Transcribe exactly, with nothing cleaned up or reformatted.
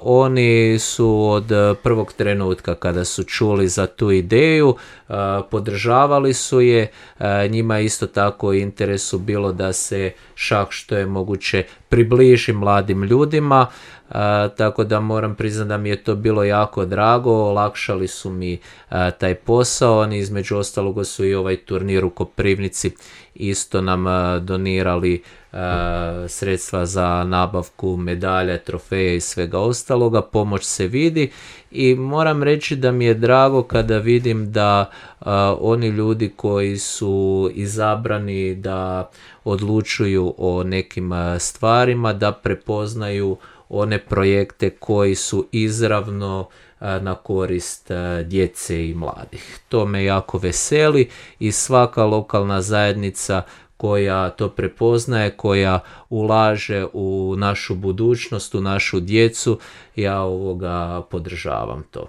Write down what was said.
Oni su od prvog trenutka kada su čuli za tu ideju, podržavali su je. Njima je isto tako u interesu bilo da se šah što je moguće približi mladim ljudima, tako da moram priznati da mi je to bilo jako drago, olakšali su mi taj posao. Oni između ostalog su i ovaj turnir u Koprivnici isto nam donirali sredstva za nabavku medalja, trofeja i svega ostaloga. Pomoć se vidi i moram reći da mi je drago kada vidim da uh, oni ljudi koji su izabrani da odlučuju o nekim stvarima, da prepoznaju one projekte koji su izravno uh, na korist uh, djece i mladih. To me jako veseli i svaka lokalna zajednica koja to prepoznaje, koja ulaže u našu budućnost, u našu djecu, ja ovoga podržavam to.